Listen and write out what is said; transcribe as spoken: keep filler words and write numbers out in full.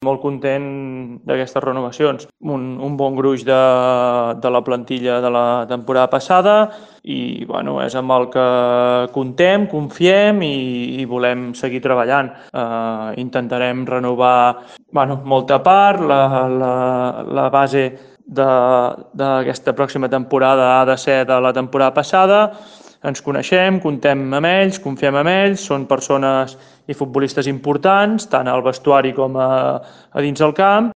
Molt content d'aquestes renovacions. Un, un bon gruix de, de la plantilla de la temporada passada i bueno, és amb el que contem, confiem i, i volem seguir treballant. Eh, intentarem renovar bueno, molta part, la, la, la base d'aquesta pròxima temporada ha de ser de la temporada passada. Ens coneixem, contem amb ells, confiem en ells, són persones i futbolistes importants, tant al vestuari com a, a dins el camp.